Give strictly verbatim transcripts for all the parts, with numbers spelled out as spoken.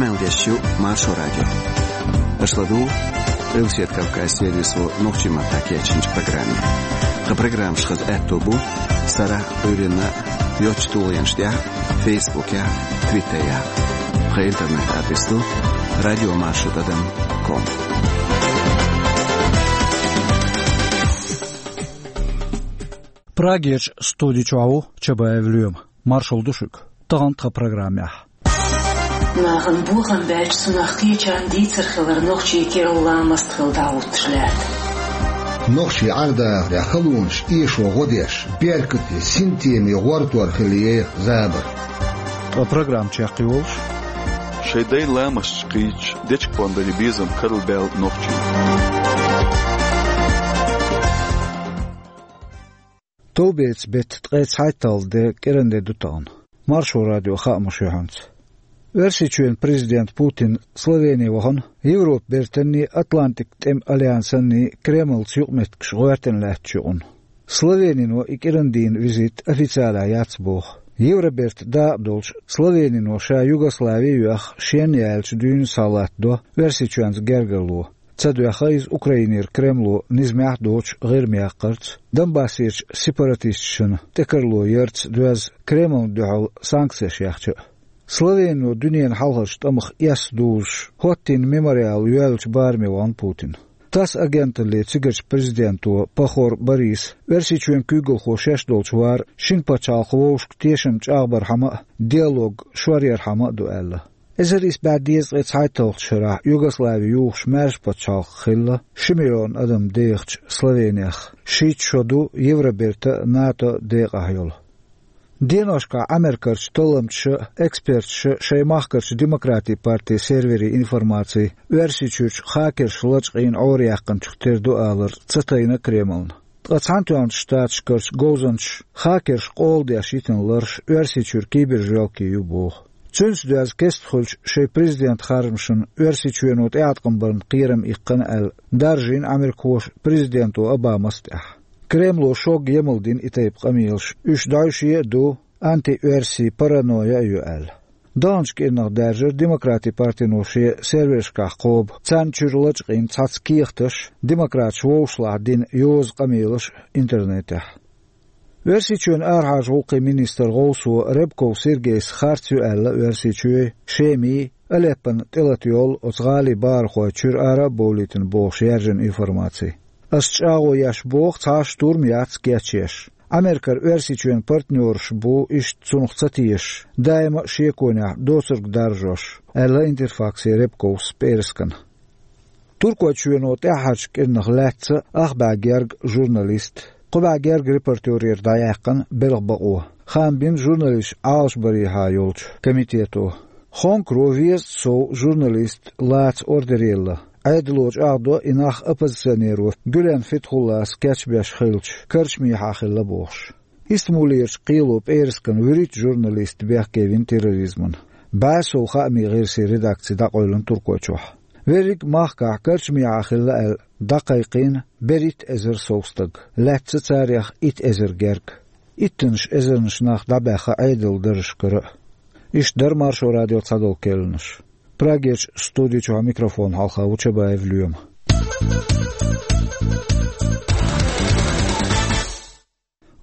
Къамел деш ю Маршо радио. Аша ладугӀу Къилбаседа Кавказан сервисо нохчийн маттахь кечйинчу программе. Тхан программаш хаза аьтто бу сарахь а, Ӏуьйранна а йоцачу тулгӀенаш тӀехь а, Фейсбукехь а, Твиттерехь а. Тхан интернет-адрес ду радиомаршо тӀадам ком. Прагерчу студи чохь ву Чабаев Лоьма. Маршалла ду шуьга. Тахана тхан программехь. Нахана бохам баьлча, цунах кхечарна дийцар хилар нохчийн керла ламаст хилла дӀахӀуттуш лаьтта. Нохчийн Ӏаьрбийн халонаш эшо гӀо деш, беркате, синтеме гӀортор хилла еха забар. Ткъа программа чекхйолуш: шайн дайн ламасташ кхийдаш, дечиг-пондарийн безам карлабаьлла нохчий. Товбецан беттан ткъе цхьайтталгӀа де, кӀиран де ду тахана. Маршо радион хаамаш ю хьоьца. Оьрсийчоьнан президент Путин Словене вахана, Европан бертанний, Атлантикан тӀеман альянсанний Кремлца юкъаметтигаш гӀоьртина лаьттачу юкъана. Словенино и кӀиран дийнан визит официалехь яц боху. Евробертан дакъа долуш Словенино ша Югослави а йоьхна, шен яьллачу дуьйна схьалаттадо Оьрсийчоьнца гергарло. Ца доьхна иза Украинера Кремло низамехь а доцуш ГӀирма яккхарца, Донбассерчу сепаратисташна тӀекарло ярца доьзна, Кремлна дуьхьал санкцеш яьхча а. Словенино дуьненан хьалхарчу тӀамах эс дузуш, хӀоттийна мемориал йоьллачу бараме вахана Путин. ТАСС агенталле цигарчу президенто Пахор Бориса, Оьрсийчоьнан куьйгалхо шаьш долчу вара шина пачхьалкхан вовшашка тешам чӀагӀбархьама а, диалог шоръярхьама а ду аьлла. Эзар исс бӀе дезткъе цхьайтталгӀачу шарахь Югослави юхуш маьрша пачхьалкх хилла, ши миллион адам дехачу Словенех шийтта шо ду Евробертан а, НАТО-н а декъахь йолу. Деношкахь Ӏамеркарчу талламчаша а, эксперташа а шайн махкарчу Демократийн партин серверийн информаци Оьрсийчуьрчу хакерша лачкъийна Ӏораяьккхинчух тера ду алар ца тайна Кремлна. Ткъа Цхьаьнатоьхначу Штаташкарчу говзанчаша хакерш къола деш йитина ларш Оьрсийчуьра кибержоьлкий ю боху. Цуьнца доьзна кестта хуьлучу шайн президентан харжамашна Оьрсийчоьно тӀеӀаткъам барна кхерам иккхина аьлла, даржийна Ӏамеркахоша президенто Обамас а тӀехь. Кремло шога емал дина и тайпа къамелаш, уьш дӀаьвше а ду, антиоьрсийн паранойя а ю аьлла. Даханчу кӀирнах даьржира Демократийн партино шен сервершкахь кхобу, царна чуьра лачкъийна цхьацца кехаташ, демократаша вовшашлахь дина йоза къамелаш интернетехь. Оьрсийчоьнан арахьарчу гӀуллакхийн министран гӀовсо Рябков Сергейс харц ю аьлла Оьрсийчоьнан, Шеман, Алеппон тӀелата йолу оцу гӀалин бахархой чуьра ара а бовлийтина бохуш яьржина информаци. Ас чӀагӀо еш боху, цхьа а штурм яц кечъеш. Ӏамеркара Оьрсийчоьнан партнераш бу иштта цунах ца тешаш, даима а шеконехь доцург даржош, аьлла Интерфаксе Рябковс пӀераскана. Туркойчоьно тӀаьххьарчу кӀирнах лаьцна ах бӀе герга журналист, кхо бӀе герга репортерера дӀаяьккхина белхан бакъо, хаам бина журналисташ Ӏалашбарехьа йолчу комитето. Хонкаро везткъа сов журналист лаца ордер елла. Ӏедало чӀагӀдо и нах оппозиционеро Гюлен Фетхуллас кечбеш хиллачу карчамехьа хилла бохуш. Истамбулерчу кхело пӀераскана вуьрхӀитта журналист бехке вина терроризмана. БӀе сов хаамийн гӀирсийн редакци дӀакъевлина Туркойчохь. Верриг а махкахь карчамехьа хилла аьлла дӀакхайкхийна берхӀитта эзар сов стаг, лаьцна царех итт эзар герга. Иттаннаш эзарнаш нах дӀабаьхна Ӏедалан даржашкара а. Иштта дара Маршо радион цхьадолу керланаш. Прагерчу студи чохь микрофон хьалха ву Чабаев Лоьма.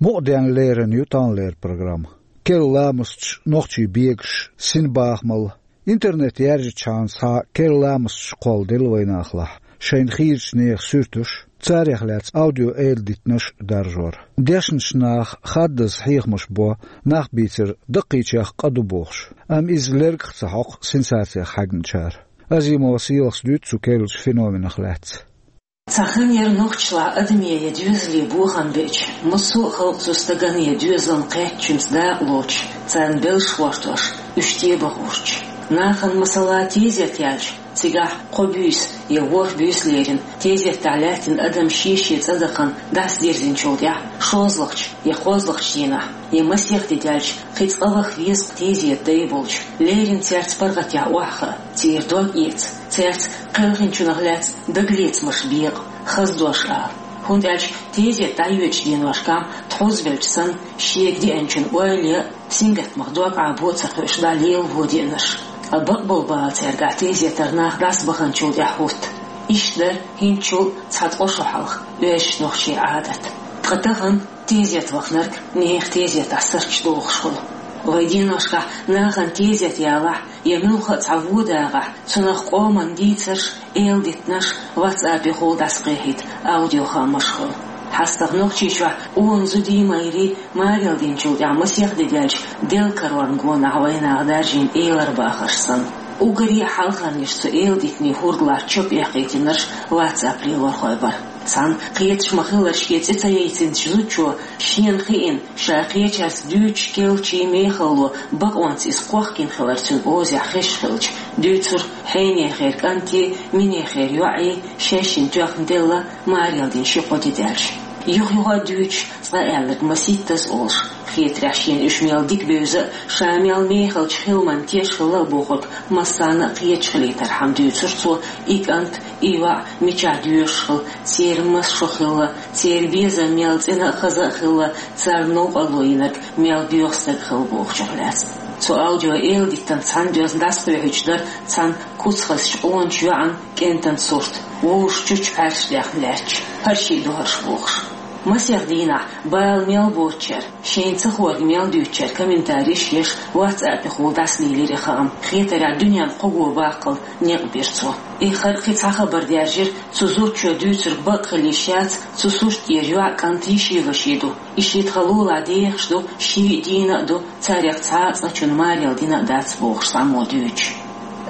Мукъаденна лерина ю таханлера программа. Керла ламасташ, нохчийн бегаш, синбахамалла. Интернет яьржичхьана схьа керла ламасташ кхолладелла вайн нахалахь, шайна хийрачу нехан суьрташ, царех лаьцна аудио-эладитанаш даржор. Дешначу наха хаддаза хьехамаш бо, нах бийцар даккхийчех къа ду бохуш, амма иза лергах а ца хьокху сенсацех хьаьгначара. Азимова Селахас дуьйцу цу керлачу феноменах лаьцна. Цхьа хан яра нохчашлахь адамийн я доьзалийн бохам беача, массо а халкъ цу стагана я доьзална кхеттачуьнца дакъа лоцуш, царна белш гӀортош, уьш тӀебахурча. Нахана, масала, тезет яьлча, цигахь кхо буьйса я ворхӀ буьйса лерина, тезетехь лаьттина адам шен-шен цӀа дахана дӀасадирзинчул тӀаьхьа шозлагӀчу я кхозлагӀчу дийнахь, я масех де даьлча, кхин цкъа ваха веза-кх тезетан дай болчу, леррина цаьрца паргӀатъяхьа охьахаа, церан дог эца, цаьрца кхелхинчунах лаьцна дагалецамаш бекъа, хаза дош ала. ХӀунда аьлча тезет дӀайоьдучу деношкахь тхьовзабелча санна, шега деанчун ойла ян а, сингаттамах дог Ӏабо а ца кхуьуш дӀа лелаво деанарш. Ткъа бакъболу бала цаьргахь тезетар нах дӀасабаханчул тӀаьхьа хӀутту. Иштта дара хӀинцачул цхьа ткъа шо хьалха оьшучу нохчийн Ӏадат. Ткъа тахана тезет ваханарг нехан тезетахь сурташ дохуш хуьлу. Вайн деношкахь нахана тезет ялахь я муьлхха а цхьа вон дагӀахь, цунах къоман дийцарш, эладитанаш WhatsApp-ехула дӀасакхехьийта аудиохаамаш хуьлу. ХьастагӀа Нохчийчохь къона зуда, майра маре динчул тӀаьхьа масех де даьлча, Делан карорна гонахь вайнаха даржийна эларбахарш санна. Уггаре а хьалхарниш цу эладитанийн хӀордалахь чопа эккхийтинарш WhatsApp лелорхой бара. Цхьана кхеташ ма-хиллара шен цӀе ца яйцинчу зудчо шена хиъна, ша кхечаьрца дуьйцуш керлачу мехалло бакъонца иза кхохкина хилар цуьнан озехь хезаш хилча, дуьйцура хьенехера кӀанте, минехера йоӀе, шайшинна тоьхна делла, маре дина ши-кхо де даьлча. Юха-юха а дуьйцуш, цкъа аьлларг масийттаза олуш, хетарехь шена уьш мел дика бевза а, ша мел мехалчу хиламан теш хилла а бохург массарна а кхеташ хилийтархьама дуьйцура цо, и кӀант, и йоӀ мичахь доьшуш хилла, церан маса шо хилла, церан безам мел цӀена а, хаза а хилла, царна новкъарло йинарг мел боьха стаг хилла бохучух лаьцна. Цу аудио-эладитанца цхьаьна доьзна дӀасакхоьхьуьйтуш дара цхьана куц хазчу къоначу йоӀан кӀентан сурт, вовшашна чучча пхьаьрсаш даьхна лаьтташ, хӀара шиъ ду хӀорш бохуш. Масех дийнахь бала мел боцучара, шайна ца хоьриг мел дуьйцучара комментареш еш, WhatsApp-ехула дӀасалелира и хаам. Хетарехь, дуьненна кхо го баккхал некъ бира цо. Эххар а кхин цхьа хабар даьржира, цу зудчо дуьйцург бакъ хила йиш яц, цу сурт тӀера йоӀ, кӀант йиши-ваши ду. И шийтта лулахь дехаш ду, ший а дийна а ду, царех цхьа а цкъачунна маре дина а дац бохуш цхьаммо дуьйцуш.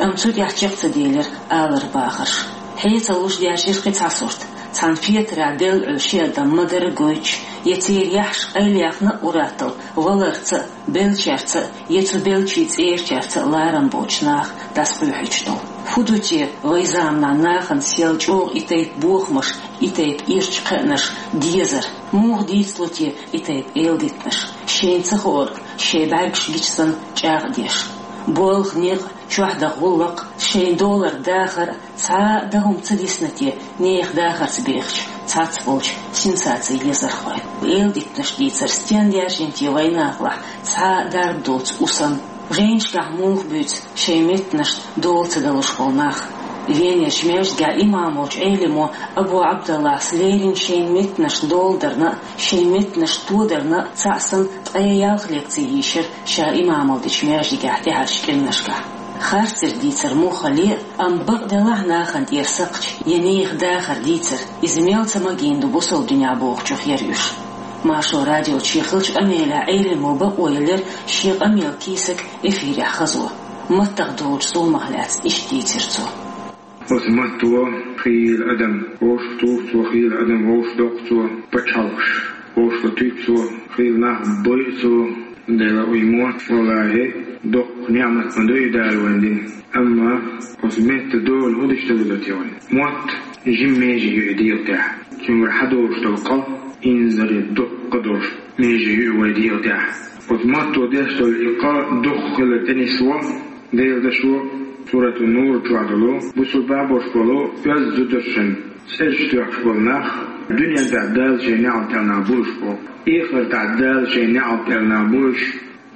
Амма цу тӀехь чекх ца делира аларбахарш. Хье ца луш даьржира кхин цхьа сурт. Цхьана фетарехь белла Ӏуьллу ши адам ма-дарра гойтуш, я церан яххьаш къайлаяьхна а ур-атталла, валарца а, беллачаьрца а, я цу беллачийн цӀерачаьрца а ларам боцуш наха дӀасакхоьхьуьйтуш долу. ХӀун ду те вайн заманахь нахана сел чӀогӀа и тайпа бохамаш, и тайпа ирча кхиънарш дезар? Муха дийцало те и тайпа эладитанаш, шайна ца хоорг шайн бӀаьргаш гича санна чӀагӀдеш? Болх, некъ, чохь даха гӀуллакх, шайна долар, дахар, цхьа а дан хӀума ца дисна те нехан дахарца бехачу цхьацболчу сенсаци езархойн? Эладитанаш дийцар стенна даьржина те вайн нахалахь цхьа а дарба доцу у санна? Жайнашкахь муха буьйцу шайн меттанашна дола ца далуш болу нах? Венерчу маьждигехь имам волчу Ӏелимо Абу Ӏабдаллахьс лерина шайн меттанашна дола дарна а, шайн меттанаш тодарна а цхьаъ санна ткъе ялх лекци йийшира ша имамалла дечу маьждигехь тӀаьхьарчу кӀирнашкахь. Харцдерг дийцар муха хилла а, амма бакъ делахь нахана тӀера сакхташ я нехан дахар дийцар, иза мел ца магийна ду бусалба динехь бохучух яра уьш. Маршо радиоца шен хиллачу къамелехь Ӏелимо бакъо елира шен къамелан кийсак эфирехь хазо. Маттах долчу зуламах лаьцна иштта дийцира цо. Оцу матто хийла адам вовшах туху цо, хийла адам вовшах доккху цо, пачхьалкхаш вовшах туьйсу цо, хийла нах бойу цо. Дела, и мотт, валлахӀи, доккха ниӀмат ма ду и Дала вайна дина. Амма оцу метта дола хӀун дича ца деза те вайна? Мотт жима меже ю и дегӀа тӀехь. Цуьнгара хьадолуш долу къа инзаре доккха долуш меже ю и вайн дегӀа тӀехь. Оцу матто деш долу и къа дукха хилар тӀенисво, Делан дашо, Суратун-Нур чохь долу, бусулба беш болу оьзда зударшна цӀераш тоьхча болу нах, дуьнен тӀехь Дала шайн неӀалт аьлла нах буьйлуш бу, эхартахь Дала шайн неӀалт аьлла нах буьйлуш,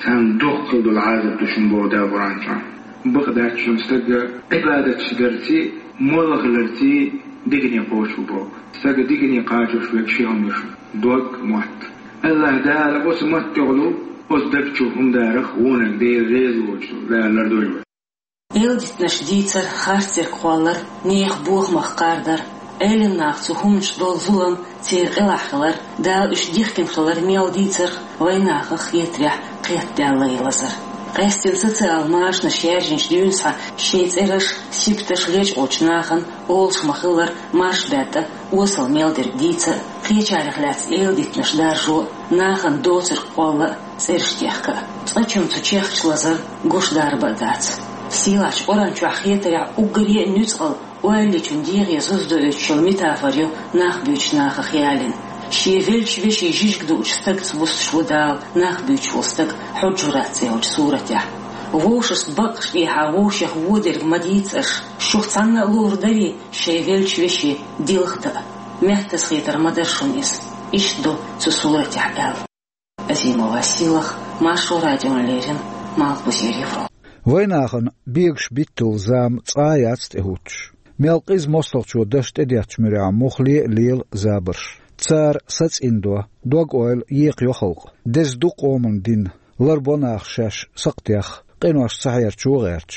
царна дукха хила долу Ӏазап ду шуна боху Дала Къуръан чохь. Бакъ дац шуна стаг Ӏибадаташ дарций, молла хиларций дикане кхочуш бу боху. Стаг дикане кхачош верг ши хӀума ду шуна: дог, мотт. АллахӀ Дала оцу маттехула, оцу даг чу хӀума дарах вониг Дела реза воцуш, Дала лардойла вай. Эладитанаш дийцар, харцдерг кхоллар, нехан бохамах кхардар, Ӏелам наха цу хӀуманаш долу зулам, церан къилахь хилар, Дала уьш дихкина хилар мел дийцарх вайн нахах хетарехь кхетадаьлла лазар. Къаьсттина социал машанаш яьржинчу дуьйна схьа шайн цӀераш, сибаташ лечкъочу нахана олуш ма-хиллара марш баьтта, осал мел дерг дийца а, кхечарех лаьцна эладитанаш даржо а, нахана доцург кхолла а, цӀераш техка а. Цкъачунна цу чехкаш лазар гуш дарба а дац. Сийлахьчу Къуръан чохь хетарехь уггаре а нуьцкъала ойла йичун дегӀе зуза доуьйтуш йолу метафора ю нах буьйцучу нахах ялийна. Шен веллачу вешин жижиг дуучу стагца вустуш ву Дала нах буьйцуш волу стаг Хьуджурат цӀе йолчу суратехь. Вовшашца баккъашна тӀехьа вовшех вон дерг ма дийца аша, шух цхьанна а луур дарий шайн веллачу вешин дилха дан а? Меттаза хетар ма дара шуна иза. Иштта ду цу суратехь аьлла. Азимова Сийлаха, Маршо радиона леррина, Малхбузера Европа. Вайнахана бегаш биттал зама цкъа а яц тӀехӀуттуш. Мел къиза мостагӀчо даш тӀедеттачу муьрехь муххале а лела забарш. Цара сацӀиндо, дог-ойла екхайо халкъ. Деза ду къоман дин, ларбо нах шаьш сакхтех, къинош цахьерчо гӀерташ.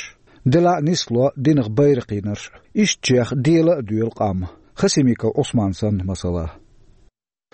Делахь а нисло динах байракх йинарш, ишттачех дела а доьлу къам, Хасимиков Ӏусман санна масала.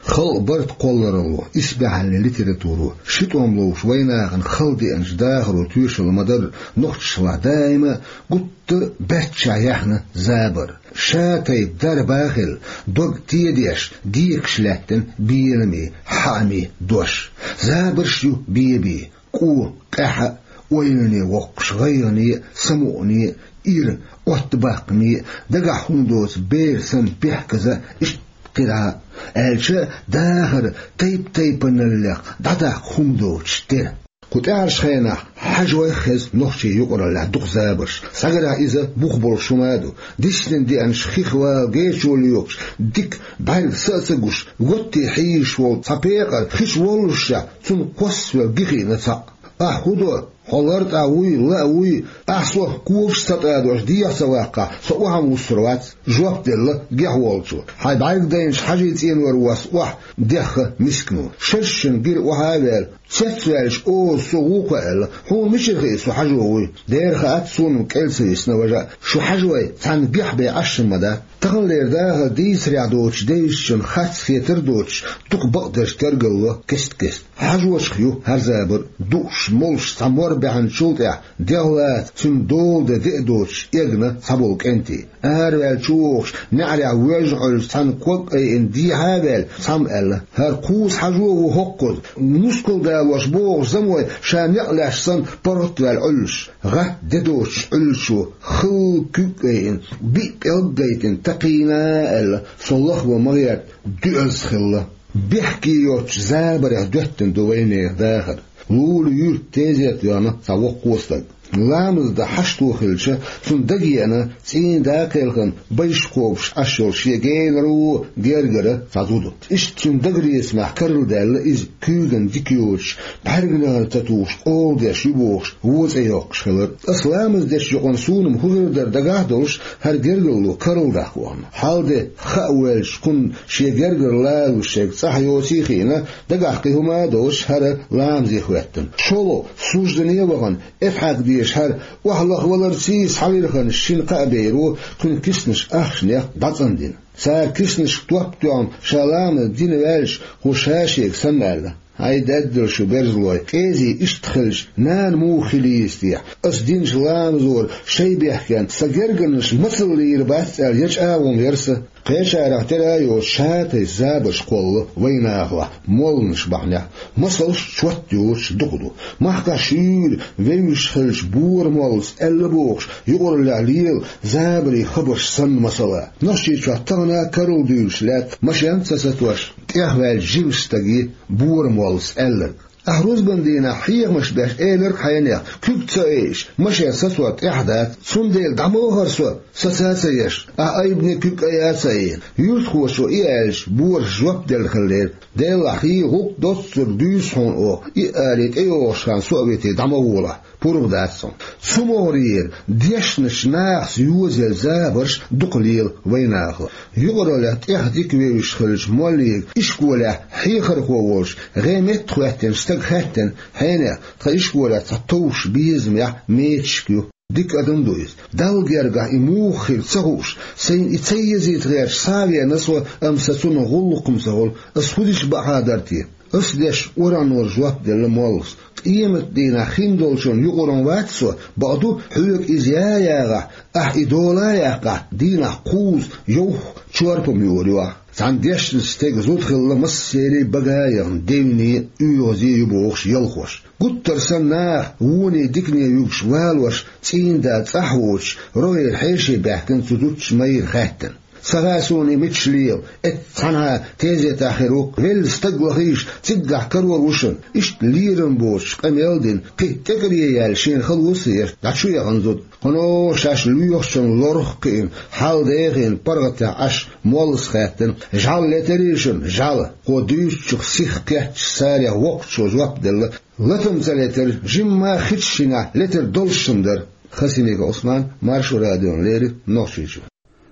Халкъан барт кхолларалло, исбаьхьаллин литературо, ши тӀом ловш вайнахана хала деанчу дахаро тоьшалла ма-дарра, нохчашлахь даима а гуттар а баьччахь яьхна забар. Ша тайпа дарба а хилла, дог тедеш, декаш лаьттина беламе, хьааме дош. Забарш ю бен-бен, кӀо, къаьхьа а, ойлане воккхуш, гӀайгӀане а, самукъане а, ира, оттабаккхаме а, дагахь хӀума доцу бер санна бехказа а, иштта кхидӀа а, аьлча а, дахар тайп-тайпаналлех дӀадаккха хӀума доцуш тера. Кху тӀаьхьарчу хенахь хьажой хезна нохчийн юкъараллехь дукха забарш. Схьагарехь, иза бух болуш хӀума а ду. Дисина деанчу хих вала гечо лоькхуш, дика бӀаьрг са а ца гуш, готте хьийзаш волу цхьа пекъар хи чу воллушехь, цунна кхоссавелла ги хиъна цхьаъ. «Ахь хӀун до? Хьо лартӀехь вуй, лаа вуй? Ахь сох когаш ца тӀадош дехьа ца ваккхахь, со охьа вуссур вац», — жоп делла гехь волчо. «Хьайн бӀаьрг дайначу хьажийн цӀенор воссу охьа», — дехха мискано. Шершина гира охьа а ваьлла, цецваьлча оза со вукхо аьлла: «Хьуна мичара хии со хьажо вуй?» «Дера хаьа, суна-м кӀел ца висна, важа. Шу хьажой цхьаьна гехь бен Ӏаш ма дац». Таханлера дахар дийцарехь доцучу девзачун харц хетар а доцуш, дукха бакъдерш тергалло кест-кеста. Хьажочух ю хӀара забар а. Дууш, молуш цхьа мор баьхначул тӀаьхьа, дегӀ лаца, цуьнан дола де де а доцуш, эгна цхьаболу кӀентий. Араваьлла чу вогӀуш, неӀарехь воьжна Ӏуьллуш цхьаьна ког айина дехьа а ваьлла, цхьамма аьлла: «ХӀара кхузза хьажо ву хӀокхуза». Мускал далош богӀуш замой ша некъ лаьцна санна паргӀат а ваьлла Ӏуьллуш. ГӀатта де доцуш Ӏуьллучо хала куьг а айина, биъ пӀелг а гайтина такхийна аьлла, со лахван ма гӀерта, доьазза хилла. Бехке йоцучу забарех доьттина ду вайнехан дахар. Лула юьрта тезета веана цхьа воккхо стаг. Ламаз дан хьашто хилча, цунна дагеана цӀийнан да кхелхина байш кхобуш Ӏаш йолу шен генаро гергара цхьа зуда. Иштта цуьнан дагарецамехь карладаьлла иза, куьйгана дика йоцуш, бӀаьрганегӀар ца тухуш, къола деш ю бохуш, вон цӀе йоккхуш хилар. Аса ламаз дечу юкъана суна-м хӀун хир дара дагахь а долуш, хӀара гергарло карладаккха вахана. Хьал-де хаа воьлча, кхунна шен гергара лалуш ерг цӀахь йоций а хиъна, дагахь кхин хӀума а доцуш, хӀара ламазе хӀоьттина. ШолгӀа, суждане а вахана, эцхьаьг дезаш хӀара охьалахваларций схьавирхина шина кхаа беро кхуьнан киснаш ахчанех дӀацӀандина. Цара киснашка топ а тоьхна, ша ламаз дина ваьлча, кхо ша шега санна аьлла: «ХӀай, даьддала шу, берзалой, кӀезий иштта хилча, нана муха хила еза техьа? Аса динчу ламазора шай бехкенна сан гергарнаш мацалла лийр бац», — аьлла, я чӀагӀо ма яра сан. Кхечарах тера а йоцуш, ша тайпа забарш кхолла вайнахалахь, молланаш бахьанехь. Масалш чот йоцуш дукха ду. Махкахь шуьйра вевзаш хиллачу Бора-моллас аьлла бохуш, юкъараллехь лела забарийн хабарш санна масала. Нохчийчохь тахана а карладуьйлуш лаьтта машен а ца сатош, тӀехваьллачу жимачу стаге Бора-моллас аьлларг. Ахь рузбан дийнахь хьехамаш беш элира-кх хьенех: «Куьг ца айаш, машен сацор тӀехь дац. Цундела дӀа ма вахара со, саца а ца еш, ахь айбане куьг айа а ца айина». Юьртахочо и аьлча, Борас жоп делла хиллера: «Делахь хьий, гӀуллакх доццур дуьйцу хьуна оха, и а алий, тӀейогӀуш хан со а витий, дӀа ма волахь, пурба дац хьуна». Цу могӀарера дешначу нахаца йозаелла забарш дукха лела вайнахалахь. Юкъараллехь тӀех дика вевзаш хиллачу моллига ишколехь хьехархо волуш, гӀеметтахӀоьттинчу стага хаьттина: «Хьенех, тхан ишколехь цхьа товш безамехь мечашка ю. Дика адам ду иза. Далла гергахь и муха хир ца хууш, сайна и ца езийта гӀерташ схьа а веана со, амма сан цунах гӀуллакх-м ца хуьлу. Ас хӀун дича бакъахьа дара те? Ас деш урамнора жоп делла моллас. Къематдийнахь хиндолчунна юкъара-м вац со, бакъду, хьоьга иза я а ягӀахь, ахь и дола а яьккхахь, дийнахь кхузза йовха чорпа-м юур ю ахь». Цхьана дешначу стеган зуда хилла массеран а бага а яхна, девне а, оьгӀазе а ю бохуш ялхош. Гуттар санна наха, воне а, дикане а вуьгуш валош, цӀийнан да цӀахь воцуш, рогӀера хьеший баьхкина цу зудчун майра хаьттина. Ца хаьа суна и мича лела, эцца цхьанхьа тезетахь хир ву-кх, велла стаг лахийша, циггахь карор ву шуна. Иштта лерам боцуш къамел а дина, кхин а тӀекӀаре яьлла шена хала ву сан, аьлла, дӀа чу яхана зуда. Кхуьнан шаьш лоьхучун лорах а кхиъна, хьал дехийна, паргӀатехь Ӏаш, моллас хаьттина: «ЖӀаьла летарий шуна, жӀаьла?» Кхо дуьйцучух сиха кхеттачу царех воккхачо жоп делла: «Латам ца летара, жимма хи чу шинехь летар долуш шуна дара». Хасимиков Ӏусман, Маршо радиона леррина, Нохчийчоь.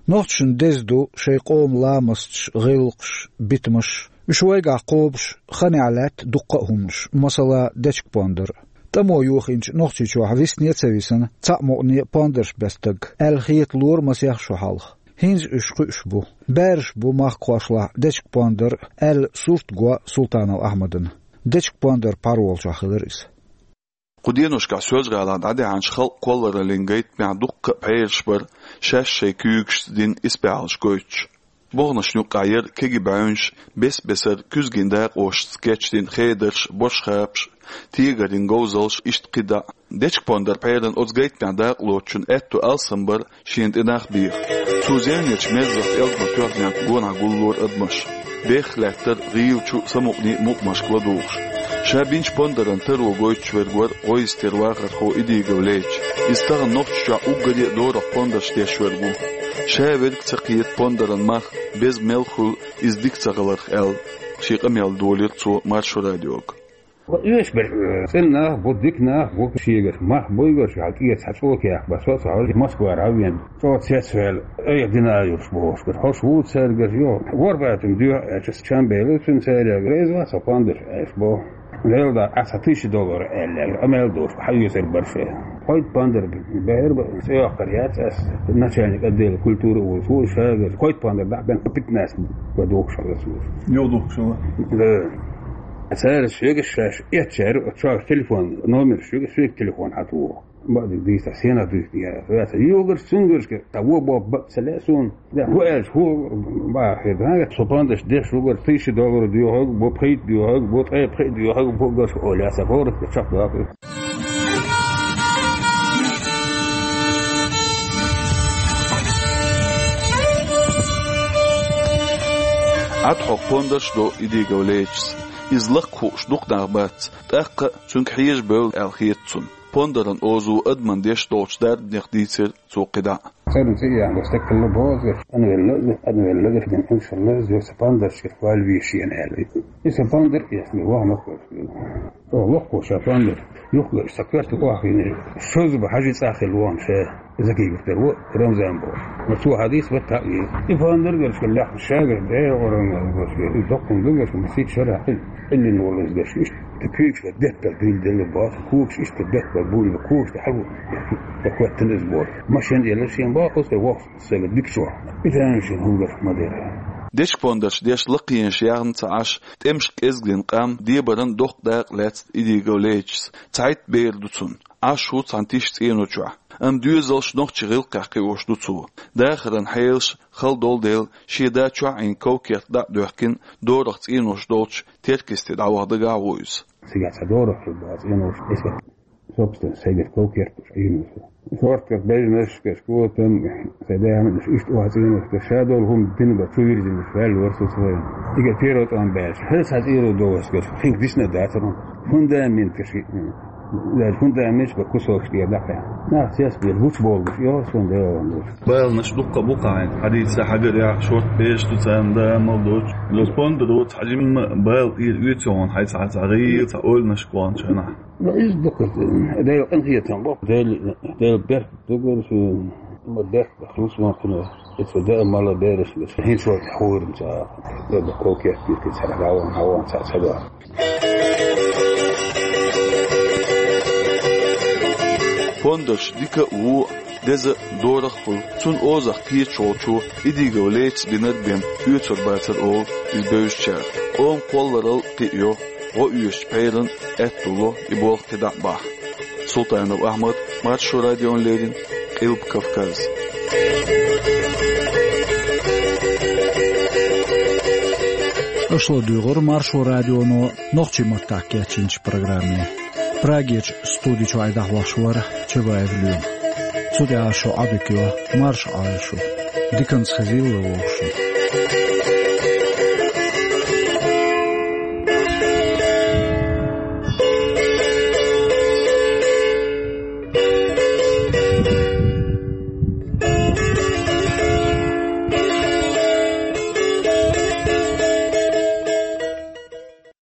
Нохчашна деза ду шайн къоман ламасташ, гӀиллакхаш, битамаш. Уьш вайгахь кхобуш ханехь лаьтта дуккха а хӀуманаш, масала, дечка-пондар. ТӀамо йохийначу Нохчийчохь висане а ца висина, цхьаъ мукъане а пондарш беш стаг, аьлла хеталора масех шо хьалха. ХӀинца уьш кхуьуш бу. Бераш бу махкахошлахь дечка-пондар, аьлла, сурт го Султанов Ахьмадана. Дечка-пондар пхьар волчохь хилира иза. Кху деношкахь Соьлжа-ГӀалахь дӀадаьхьначу халкъан кхоллараллин гайтамехь дуккха а пхьераш бара, шаьш шайн куьйгашца дина исбаьхьаллаш гойтуш. Боханашна юккъехь яра кегий бӀаьвнаш, бес-бесара куьзган дакъошца кечдина хедарш, бошхапаш, тегарин говзалш, иштта кхидӀа а. Дечка-пондар пхьеран оцу гайтамехь дакъалоцучун аьтту алсам бара шена тӀе нах беха. Цо зевнечу мерзах тӀелгӀа тоьхнехь гонахь гуллора адамаш. Бехха лаьттара гӀийла чу самукъане а мукъамашка ладугӀуш. Ша бинчу пондаран таро гойтуш верг вара гӀо йистера вахархо Идигов Леча. Иза тахана Нохчийчохь уггаре а дорах пондарш деш верг ву. Ша верг ца кхета пондаран мах беза мел хуьлу иза дика ца хиларх аьлла, шен къамел долийра цо Маршо радиога. Ва оьшуш берш, э, цӀена нах бу, дика нах бу, шегаш мах буйгаш, хьал тӀера цхьа чӀогӀа кехат бан, со а ца хьожуш, Москвара хьавеана, чӀогӀа цецваьлла, айхьа дина йолуш бохуш бара. Хьо шу ву цаьргара, йо, ворхӀ баьтта дуьхьа аьлча, чам бевлла цуьнан цаьрга, реза вац хьо пондарш аьлча боху. Лела да, Ӏа цхьа тысяча доллар аьлла, къамел долуш, хьан оьцур бара шайн. Кхойтта пондар баьхьира бан, цӀе йоккхур яц ас, начальник отдела культуры а волуш ву, шагара кхойтта пондар дӀа а бен, пятнадцать бан духуш хилла цо. Юха духуш хилла? Да. Цара соьгаш шаьш эцчара, оцу чохь телефон номерш соьгаш, соьга телефон хьатуху. Бакъдерг дийца, сенах дуьйцу яра. Ваьца, юхагарш, цуьнгаршка, цхьа вон бо бакъ ца лаьа суна. Ваьлла, хӀу аьлча, хӀу бахьа хир дац, со пондарш деш вугар, тысяча доллар доьхург бу, пхийтта доьхург бу, ткъе пхиъ доьхург бу, гарш олу, яц, хӀора чекхдоккху. Ӏад хьокху пондарш а до Идигов Лечас. Иза лакха хууш дукха нах бац, тӀаккха а цуьнга хьежа бевлла аьлла хета цунна. Пондаран озо адамна деш долчу дарбанех дийцира цо кхидӀа а. ЦӀеран цӀе яхна стаг хилла боху иза, къинвелла а, къинвелла а, иншалла, иза сан пондаршка кхолла веза шена аьлла. И сан пондар эцна вахана кхоьруш. Оха локхо ша пондар, юххе сан коьрта охьахиъна, шозза бан хьажи цӀа хилла вахана ша, Закигов тера ву, Рамзан боху. Но цо хьадийца баттахь а веза. И пондар гаршка лаьхна шагара, бӀе гӀоран гаршка, и доккхун ду гаршка, масийтта шарахь къиллина волу иза гаршка. Иштта куьйгаш беттал дуьйла делла боху, когаш иштта беттал буьйлу, когаш тӀе хьалхо хӀоьттина иза боху. Машен а елла шен боху, оцу тӀе воккхуш. Сага дика чохь. И тайна шен хӀума ма дара. Дечка-пондарш деш лакхенаш яхна ца Ӏаш, тӀемашка кӀезгдина къам дебаран доккха дакъа лаьцна Идигов Лечас. Цхьайтта бер ду цунна. Ӏаш ву цхьана тиша цӀено чохь. Амма доьзалш нохчийн гӀиллакхехь кхиош ду цо. Дахаран хьелаш хала долу дела, шен да чохь Ӏийна ков-керт дӀа а доьхкина, дорах цӀенош долчу Теркасте дӀаваха дагахь а ву иза. Цигахь цхьа дорах хир бац, цӀенош эска. Собственно, сайгара ков-керт Ӏийна ву со. Шортках бежнаш, каш котам, сайн даьхьнаш, иштта охьа цӀенош, каш ша долу хӀума дина бан чу вирзинаш, ваьлла вара со цхьа. Ига первый тӀом баьлча, хӀара цхьа цӀеро довас, каш, хинга дисна дацара. Фундамент, каш, даже фундаменташ бан кусокаш тӀера дӀакхаьхьна. Нах цецбелла, гучуболуш, йо, сон Дела ван долуш. Баланаш дуккха а бу кхаьна, хьадийца хьагарехь, шорта беш ду царна да, мал доцу. Ло спонда доцу, хьажимма бала тӀера оьцу хьуна, хьайца хьаца гӀийла, цхьа ойланаш кхончу хьуна. Но иза дукха, Дела къинхетам бо, Дела, Дела беркат дугур шу, ма беркат бахлус ма кхуна, эцо даа мала бераш, хӀинца вай хьуурна ца, Дела ков-керт бирки цара хьаван, хьаван ца, ца да. Пондарш дика а ву, деза а, дорах а хуьлу. Цунна озах кхеташ волчо Идигов Лечас бинарг бен оьцур бацара олу иза бевзачара. Къоман кхолларалла кхиайо, гӀо оьшучу пхьеран аьтто ло и болх кхидӀа а бахьа. Султанов Ахьмад, Маршо радиона леррина, Къилба Кавказ. Аша ладуьйгӀира Маршо радионо нохчийн маттахь кечйинчу программе. Прагерчу студи чуьра дӀахьош вара Чабаев Лоьма. Цу тӀехь шу Ӏадика йо, марша Ӏойла шу. Диканца хезийла вовшашца.